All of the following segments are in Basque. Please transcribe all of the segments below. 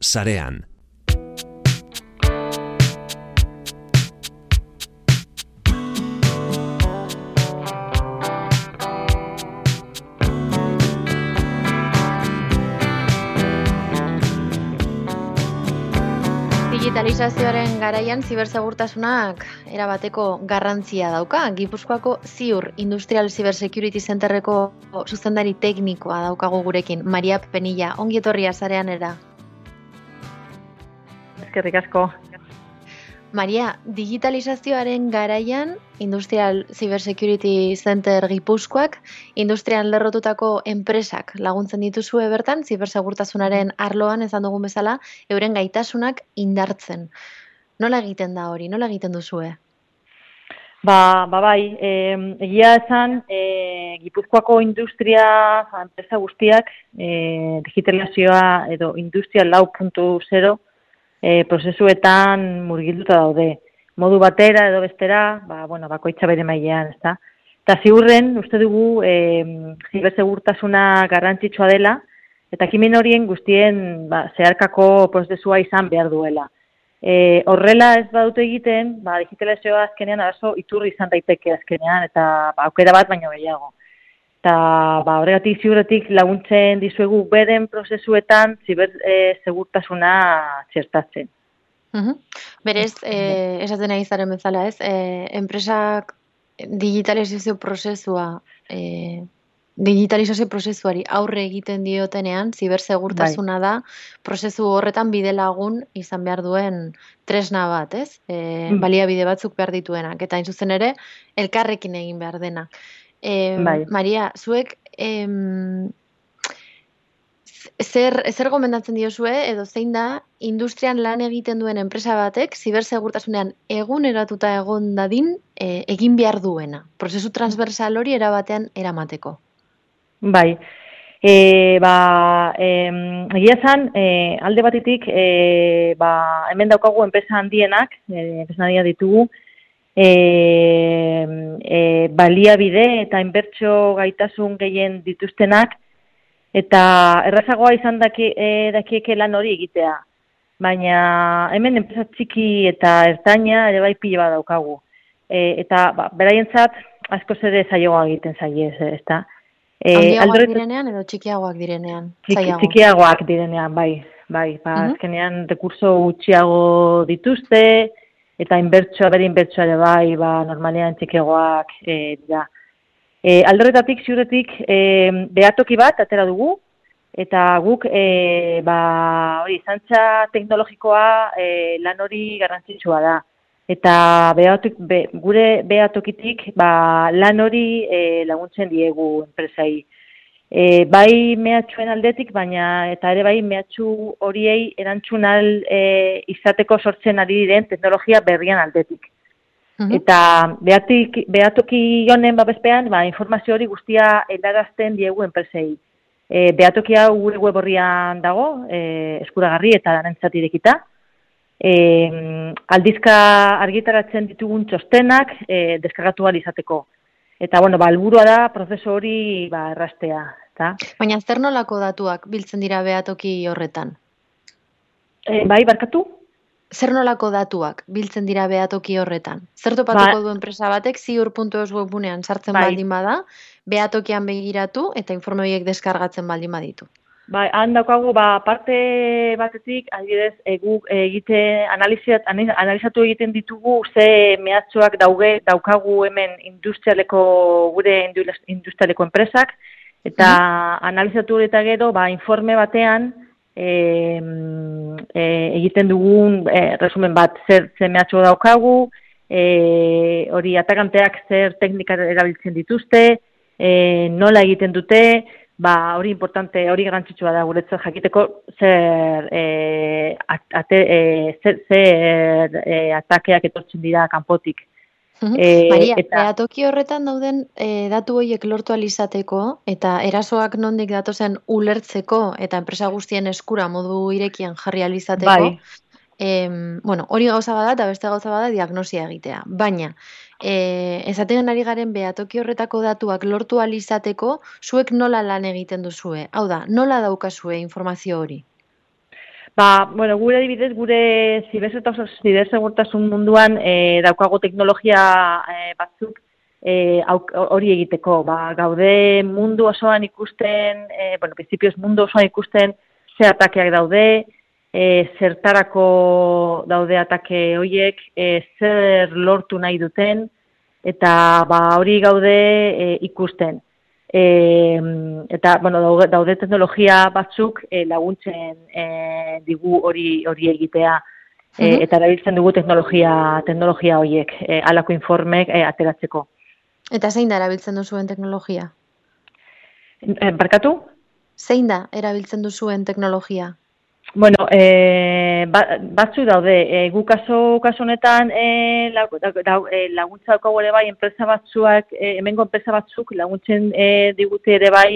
sarean. Digitalizazioaren garaian zibersegurtasunak erabateko garrantzia dauka. Gipuzkoako Ziur Industrial Cyber Security Centerreko zuzendari teknikoa daukagu gurekin, Maria Penilla. Ongi etorria sareanera. Eskerrik asko. Maria, digitalizazioaren garaian Industrial Cyber Security Center Gipuzkoak industrian lerrotutako enpresak laguntzen dituzue bertan, zibersegurtasunaren arloan esan dugun bezala, euren gaitasunak indartzen. Nola egiten da hori? Nola egiten duzue? Bai, egia esan, Gipuzkoako industria enpresa guztiak digitalizazioa edo Industria 4.0 prozesuetan murgilduta daude. Modu batera edo bestera, bakoitza bere mailean, ezta? Eta ziurren, uste dugu, zibersegurtasuna garrantzitsua dela, eta ekimen horien guztien zeharkako prozesua izan behar duela. Horrela ez badute egiten, digitalizazioa azkenean arazo iturri izan daiteke azkenean, eta aukera bat baino gehiago. Eta horregatik ziurretik laguntzen dizuegu beren prozesuetan zibersegurtasuna txertatzen. Berez, esaten ari zaren bezala, ez? Enpresak digitalizazio prozesuari aurre egiten diotenean, zibersegurtasuna da, prozesu horretan bidelagun izan behar duen tresna bat, ez? Baliabide batzuk behar dituenak, eta hain zuzen ere, elkarrekin egin behar dena. Maria, zuek zer gomendatzen diozue edo zein da industrian lan egiten duen enpresa batek zibersegurtasunean eguneratuta egon dadin egin behar duena, prozesu transversal hori erabatean eramateko? Bai, egia esan, alde batetik, hemen daukagu enpresa handienak, enpresa handia ditugu, baliabide eta inbertsio gaitasun gehien dituztenak, eta errazagoa izan dakieke lan hori egitea. Baina hemen enpresa txiki eta ertaina ere bai pila bat daukagu. Eta beraientzat askoz ere zailagoa egiten zaie, ezta? Handiagoak direnean edo txikiagoak direnean? Txikiagoak direnean, bai. Azkenean rekurso gutxiago dituzte, eta bere inbertsioa ere bai, normalean txikiagoak dira. Aldorretatik, ziurretik, behatoki bat atera dugu, eta guk zantza teknologikoa lan hori garrantzitsua da. Eta gure behatokitik lan hori laguntzen diegu enpresai. Bai mehatxuen aldetik, baina eta ere bai mehatxu horiei erantzun izateko sortzen ari diren teknologia berrian aldetik. Eta behatoki honen babespean, informazio hori guztia helarazten diegu enpresei. Behatoki hau gure web horrian dago, eskuragarri eta danentzat irekita. Aldizka argitaratzen ditugun txostenak deskargatu ahal izateko. Eta, helburua da prozesu hori erraztea. Baina zer nolako datuak biltzen dira behatoki horretan? Barkatu? Zer nolako datuak biltzen dira behatoki horretan? Zer topatuko du enpresa batek ziur.eus webunean sartzen baldin bada, behatokian begiratu eta informe horiek deskargatzen baldin baditu? Han daukagu, parte batetik, adibidez, guk analizatu egiten ditugu ze mehatxoak daukagu hemen gure industrialeko enpresak, eta analizatu eta gero, informe batean, egiten dugun resumen bat, zer mehatxo daukagu, hori atakanteak zer teknika erabiltzen dituzte, nola egiten dute, hori importante, hori garrantzitsua da guretzat jakiteko zer atakeak etortzen dira kanpotik. Maria, behatoki horretan dauden datu horiek lortu alizateko eta erasoak nondik datozen ulertzeko eta enpresa guztien eskura modu irekian jarri alizateko, hori gauza bada eta beste gauza bada diagnosia egitea. Baina, esaten ari garen behatoki horretako datuak lortu alizateko, zuek nola lan egiten duzue? Hau da, nola daukazue informazio hori? Bueno, gure adibidez, gure zibersegurtasun munduan daukago teknologia batzuk hori egiteko. Gaude mundu osoan ikusten, principios mundu osoan ikusten ze atakeak daude, zertarako daude atake horiek, zer lortu nahi duten, eta hori gaude ikusten. Eta, daude teknologia batzuk laguntzen digu hori egitea. Eta erabiltzen dugu teknologia horiek, halako informek ateratzeko. Eta zein da erabiltzen duzuen teknologia? Barkatu? Zein da erabiltzen duzuen teknologia? Bueno, batzu daude. Gu kaso honetan laguntza daukagu ere bai enpresa batzuak, hemengo enpresa batzuk laguntzen digute ere bai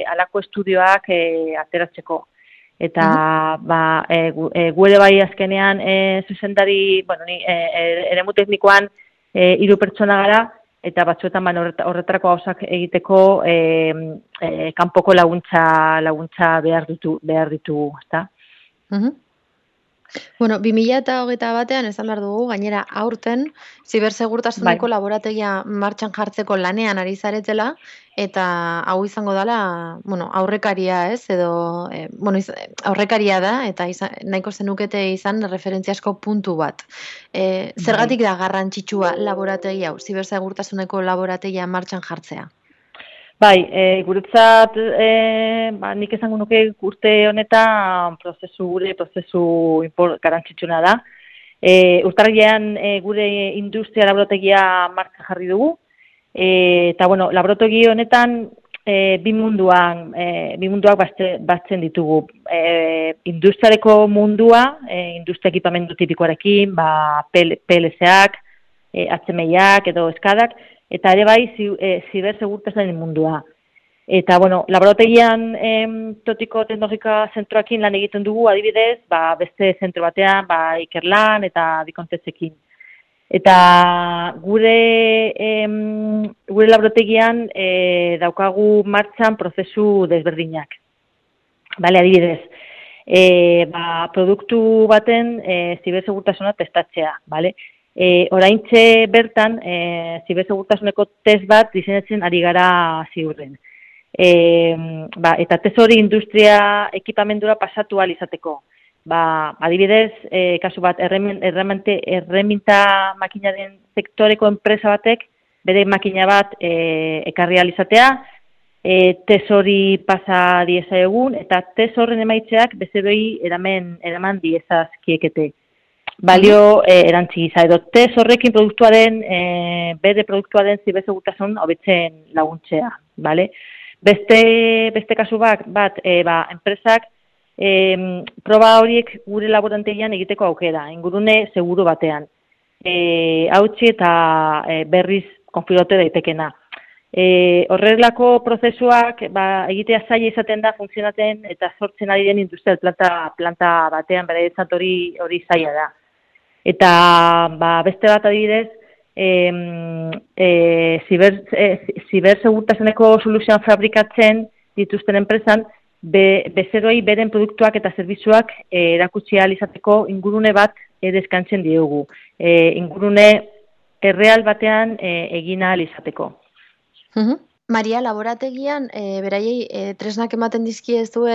halako estudioak ateratzeko. Eta gu ere bai azkenean zuzendari, ni eremu teknikoan 3 pertsona gara, eta batzuetan horretarako gauzak egiteko kanpoko laguntza behar ditu, ezta? Bueno, 2021 esan behar dugu, gainera aurten zibersegurtasuneko laborategia martxan jartzeko lanean ari zaretela, eta hau izango dela, aurrekaria, ez? Edo, aurrekaria da, eta nahiko zenukete izan referentziasko puntu bat. Zergatik da garrantzitsua laborategia hau, zibersegurtasuneko laborategia martxan jartzea? Guretzat, nik esango nuke urte honetan gure prozesu garrantzitsuna da. Urtarrilean gure industria laborategia martxan jarri dugu, eta laborategi honetan bi munduak batzen ditugu. Industriareko mundua, industria ekipamendu tipikoarekin, PLC-ak, HMI-ak edo eskadak, eta ere bai zibersegurtasunaren mundua. Eta, laborategian totiko teknologika zentroekin lan egiten dugu, adibidez, beste zentro batean, Ikerlan eta Bikontzekin. Eta gure laborategian daukagu martxan prozesu desberdinak. Adibidez, produktu baten zibersegurtasuna testatzea, oraintxe bertan, zibersegurtasuneko test bat diseinatzen ari gara ziurren. Eta test hori industria ekipamendura pasatu ahal izateko. Adibidez, kasu bat, erreminta makinaren sektoreko enpresa batek, bere makina bat ekarri ahal izatea, test hori pasa dieza egun, eta test horren emaitzeak bezeroi eraman diezazkiekete. Balio erantzigiza, edo test horrekin bere produktuaren zibersegurtasun hobetzen laguntzea, Beste kasu bat, enpresak proba horiek gure laborantegian egiteko aukera, ingurune seguru batean. Hautsi eta berriz konfiguratu daitekena. Horrelako prozesuak egitea zaila izaten da, funtzionatzen eta sortzen ari den industrial planta batean, bere hori zaila da. Eta beste bat adibidez, zibersegurtasuneko soluzioan fabrikatzen dituzten enpresan, bezeroi beren produktuak eta zerbitzuak erakutsi ahal izateko ingurune bat deskantzen diogu. Ingurune erreal batean egin ahal izateko. Maria, laborategian, beraiei tresnak ematen dizkiezue,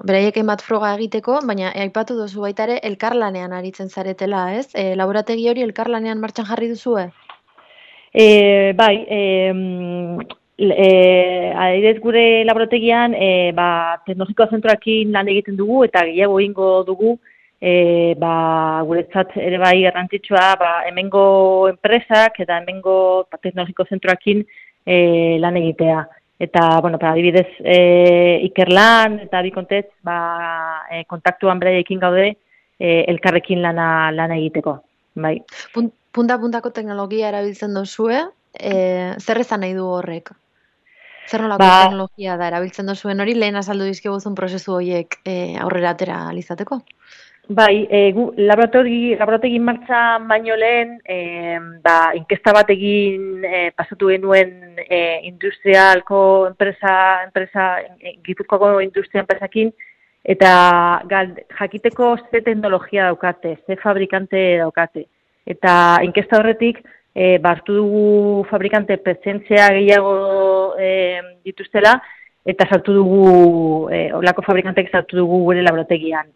beraiek hainbat froga egiteko, baina aipatu duzu baita ere elkarlanean aritzen zaretela, ez? Laborategi hori elkarlanean martxan jarri duzue? Adibidez gure laborategian, teknologiko zentroekin lan egiten dugu eta gehiago egingo dugu, guretzat ere bai garrantzitsua, hemengo enpresak eta hemengo teknologiko zentroekin lan egitea. Eta, adibidez, Ikerlan eta Bikontez, kontaktuan beraiekin gaude elkarrekin lana egiteko. Punta-puntako teknologia erabiltzen duzue, zer esan nahi du horrek? Zer nolako teknologia da erabiltzen duzuen hori, lehen azaldu dizkiguzun prozesu horiek aurrera atera alizateko? Laborategi martxan baino lehen, inkesta bat egin pasatu genuen industrialko enpresa, Gipuzkoako industria enpresakin, eta jakiteko ze teknologia daukate, ze fabrikante daukate. Eta inkesta horretik, hartu dugu fabrikante presentzia gehiago dituztela, eta sartu dugu, olako fabrikantek sartu dugu gure laborategian.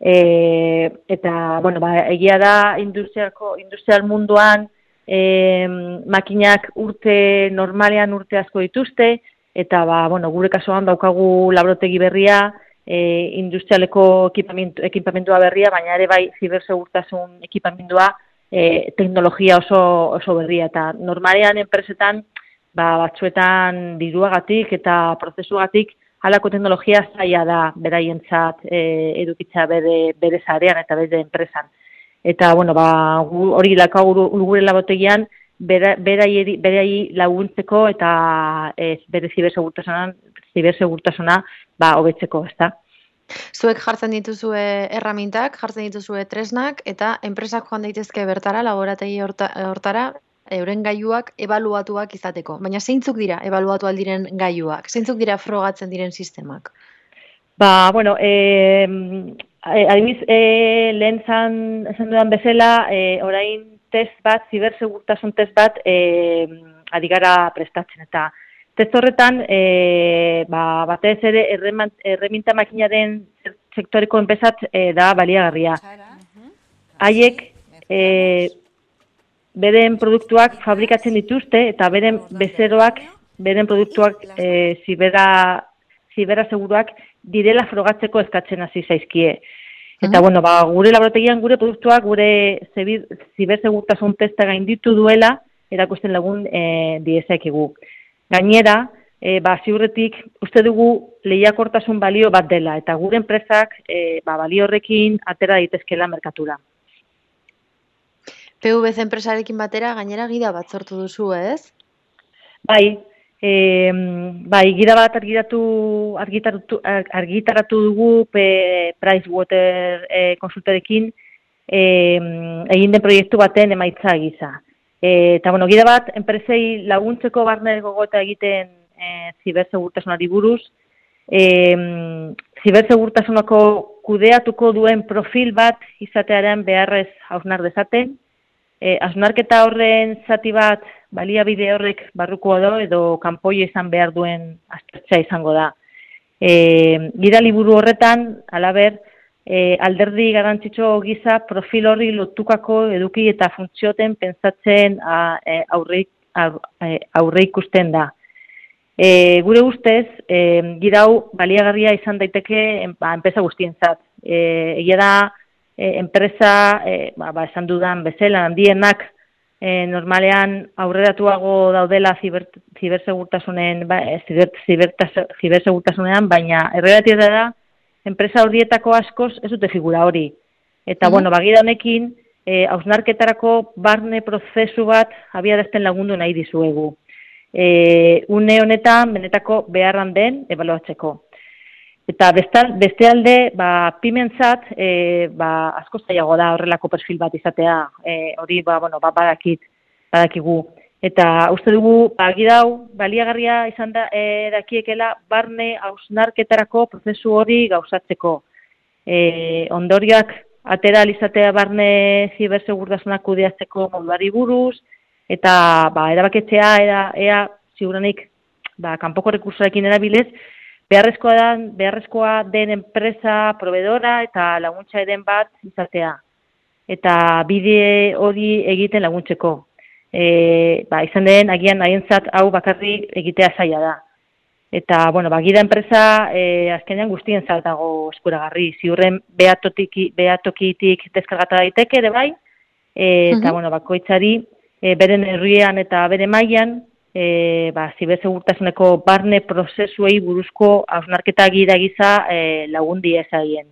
Eta, bueno, egia da industrial munduan makinak normalean urte asko dituzte, eta, bueno, gure kasuan daukagu laborategi berria, industrialeko ekipamentua berria, baina ere bai zibersegurtasun ekipamendua teknologia oso berria. Eta normalean enpresetan, batzuetan diruagatik eta prozesuagatik halako teknologia zaila da beraientzat edukitza bere zarean eta bere enpresan. Eta, bueno, hori daukagu gure laborategian beraiei laguntzeko eta bere zibersegurtasuna hobetzeko, ezta? Zuek jartzen dituzue erramintak, jartzen dituzue tresnak, eta enpresak joan daitezke bertara, laborategi hortara, euren gailuak ebaluatuak izateko. Baina zeintzuk dira ebaluatu aldiren gailuak? Zeintzuk dira frogatzen diren sistemak? Bueno, adibidez, lehen esan dudan bezala, orain zibersegurtasun test bat, ari gara prestatzen. Eta test horretan, batez ere erreminta makinaren sektoreko enpresat da baliagarria. Haiek, beren produktuak fabrikatzen dituzte eta beren bezeroak, beren produktuak zibera seguruak direla frogatzeko eskatzen hasi zaizkie. Eta, bueno, gure laborategian gure produktuak, gure zibersegurtasun testa gainditu duela, erakusten lagun diezakigu. Gainera, ziurretik uste dugu lehiakortasun balio bat dela, eta gure enpresak balio horrekin atera daitezkela merkatura. PVC enpresarekin batera, gainera gida bat sortu duzu, ez? Bai, gida bat argitaratu dugu Pricewater konsultorekin egin den proiektu baten emaitza gisa. Eta, bueno, gida bat enpresei laguntzeko barne gogoeta egiten zibersegurtasunari buruz, zibersegurtasunako kudeatuko duen profil bat izatearen beharrez hausnar dezaten, hausnarketa horren zati bat baliabide horrek barruko edo kanpoia izan behar duen aztertzea izango da. Gida liburu horretan, halaber, alderdi garrantzitsu gisa profil horri lotukako eduki eta funtzioten pentsatzen aurre ikusten da. Gure ustez, gida hau baliagarria izan daiteke enpresa guztientzat. Egia da, enpresa, esan dudan bezala, handienak normalean aurreratuago daudela zibersegurtasunean, baina errealitatea da, enpresa horietako askoz ez dute figura hori. Eta, bueno, gida honekin, hausnarketarako barne prozesu bat abiarazten lagundu nahi dizuegu. Une honetan, benetako beharran den, ebaluatzeko. Eta beste alde, pimentzat, asko zailago da horrelako perfil bat izatea, hori, badakigu. Eta uste dugu, gidau, baliagarria izan da, dakiekela, barne hausnarketarako prozesu hori gauzatzeko. Ondorioak atera izatea barne zibersegurtasunak kudeatzeko moduari buruz, eta erabaketzea, ea ziuranik, kanpoko rekursorekin erabilez, beharrezkoa den enpresa, proveedora eta laguntza eren bat izatea. Eta bide hori egiten laguntzeko. Izan den, agian nahientzat hau bakarrik egitea zaila da. Eta, bueno, gida enpresa azkenean guztien dago eskuragarri. Ziurren behatokitik deskargata daiteke ere bai, eta, bueno, bakoitzari beren herrian eta bere mailan, zibersegurtasuneko barne prozesuei buruzko hausnarketa gida giza lagundi ezaien.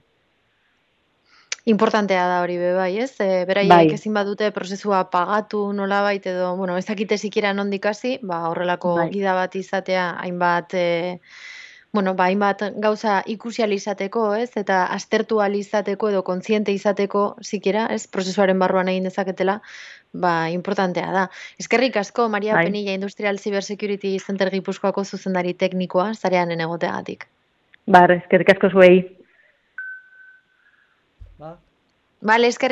Importantea da hori bai, ez? Beraiek ezin badute prozesua pagatu nolabait edo, bueno, ez dakite sikiera nondik hasi, horrelako gida bat izatea hainbat hainbat gauza ikusi ahal izateko, ez? Eta aztertu ahal izateko edo kontziente izateko sikiera, ez? Prozesuaren barruan egin dezaketela, importantea da. Eskerrik asko, Maria Penilla Industrial Cyber Security Center Gipuzkoako zuzendari teknikoa, zareanen egoteagatik. Eskerrik asko zuei. Ba? Bale, eskerrik